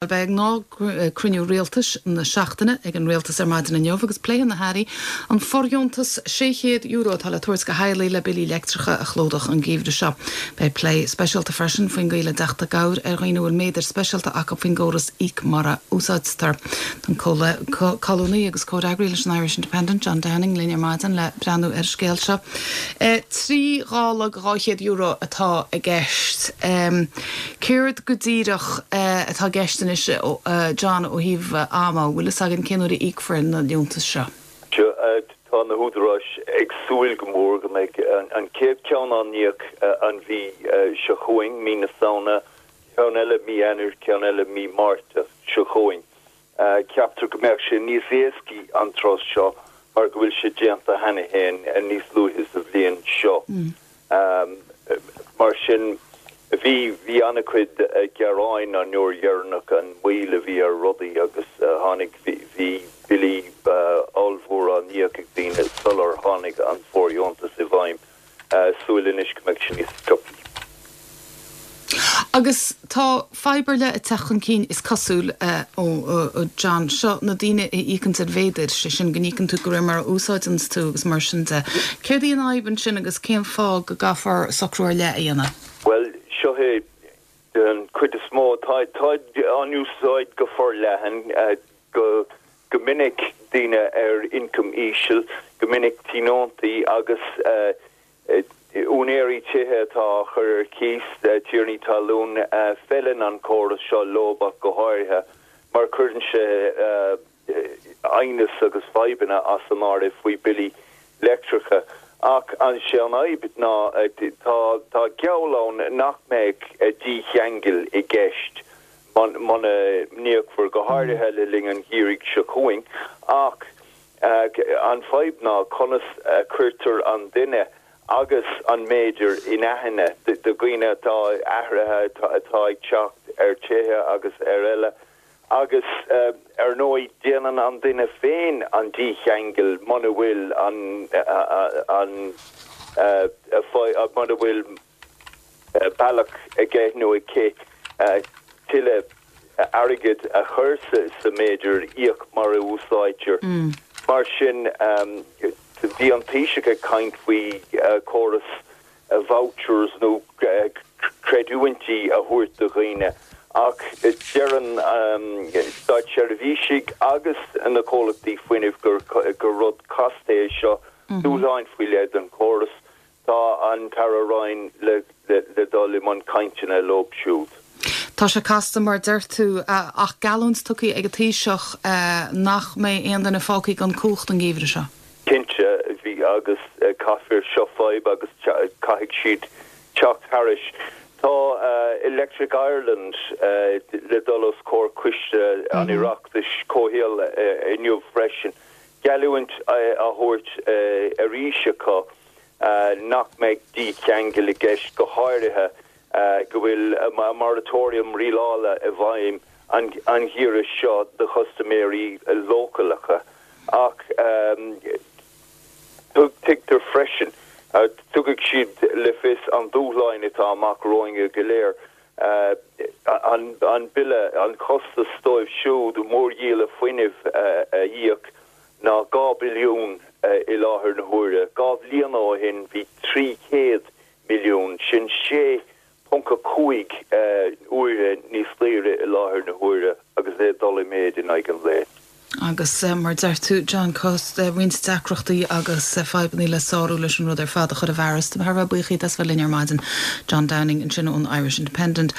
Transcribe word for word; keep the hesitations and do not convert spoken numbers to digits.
Beidh gnáthchruinniú rialtais na seachtaine ag an rialtas ar maidin inniu agus pléifidh na hairí an fóirdheontas sé chéad euro atá le tabhairt do theaghlaigh le billí leictreacha a chlúdach an geimhreadh seo. Beidh plé speisialta freisin faoin gcaoi le teacht i gcabhair ar dhaoine bhfuil méadair speisialta acu faoin gcóras íoc mar a úsáidtear. An colúnaí agus comhfhreagraí leis an Irish Independent John Downing linn ar maidin le breathnú ar an scéal seo. E, trí ghála dhá chéad euro atá i gceist. Um, Céard go díreach uh, atá i gceist anois uh, John ó thaobh uh, ama bhfuil fhios againn cén uair a íocfar na liúntais seo. Tá na húdaráis ag súil go mór go mbeidh an chéad cheann á íoc an mhí seo chugainn mí na Samhna ceann eile mí Eanáir ceann eile mí Márta seo chugainn. Ceaptar go mbeadh sé níos éascaí an tráth seo mar go bhfuil sé déanta cheana féin níos luaithe sa bhliain seo. Mm. Um, mar sin bhí bhí an-chuid gearáin an uair dheireanach an mhoill a bhí ar rudaí agus tháinig bhí billí ollmhór á n-íoc ag daoine sular tháinig an fóirdheontas i bhfeidhm súil anois go mbeidh sin níos sciobtha. Agus tá fadhb eile ag teacht chun cinn is cosúil ó John seo na daoine a íocann ar mhéadar sé sin go n-íocann tú de réir mar a úsáideann tú agus mar sin de. Céard í an fhadhb ansin agus cén fáth go gcaithfear socrú ar leith a dhéanamh? Well seo é den chuid is mó tá an úsáid go forleathan go go minic daoine ar ioncam íseal, go minic tionóntaí agus uh, úinéirí tithe atá chur ar cíos tiarnaí talún feileann an córas seo leo go háirithe mar cuireann sé aighneas agus fadhbanna as an áireamh faoi billí leictreacha. Ach an sé an fhadhb ná tá tá geall ann nach mbeidh dícheangal i gceist muna n-íocfar go háirithe le linn an gheimhridh seo chugainn ach an fhadhb ná conas cuirtear an duine agus an méadar in aithne de dhaoine atá athruithe atá ag teacht ar tithe agus ar eile agus ar ndóigh déanann an duine féin an dícheangal muna bhfuil an an muna bhfuil bealach aige nó aici tuilleadh airgid a chur sa méadar íoc mar a úsáidtear. Mm. Mar sin bhí an Taoiseach ag caint faoi córas vouchers nó creidiúintí a thabhairt do dhaoine ach deireann státseirbhísigh agus na comhlachtaí fuinnimh gur gur rud casta é seo mhm. dúshláin faoi leith den chóras tá an tAire Ryan le, le, le dul i mbun cainteanna leo siúd. Tá sé casta mar deir tú ach geallúint tugtha ag an Taoiseach nach mbeidh aon duine fágtha gan cumhacht an geimhreadh seo. Cinnte bhí agus caithfear seo fadhb agus caithfidh siad teacht thairis. Tá uh, Electric Ireland uh, le dul os comhair coiste an mhm. Oireachtais comhshaoil uh, inniu freisin. Geallúint uh, a thabhairt uh, arís acu uh, nach mbeidh dícheangal i gceist go háirithe uh, go bhfuil uh, moratorium rialála i bhfeidhm an, an geimhreadh seo do chustaiméirí leochaileacha ach um, tuigtear freisin uh, tugadh siad le fios an dúshláin atá amach romhainn go léir uh, an, an bille an costas dóibh siúd mórdhíola fuinnimh uh, a íoc ná dhá billiún uh, i láthair na huaire. Dhá bhliain ó shin bhí trí chéad milliún sin sé ponc cúig uaire níos daoire i láthair na huaire agus é ag dul i méid in aghaidh an lae. Agus mar deir tú John Cost roinnt deacrachtaí agus fadhbanna le sárú leis an rud ar fad a chur i bhfearas, thar bheith buíoch as bheith linn ar maidin John Downing ansin ón Irish Independent.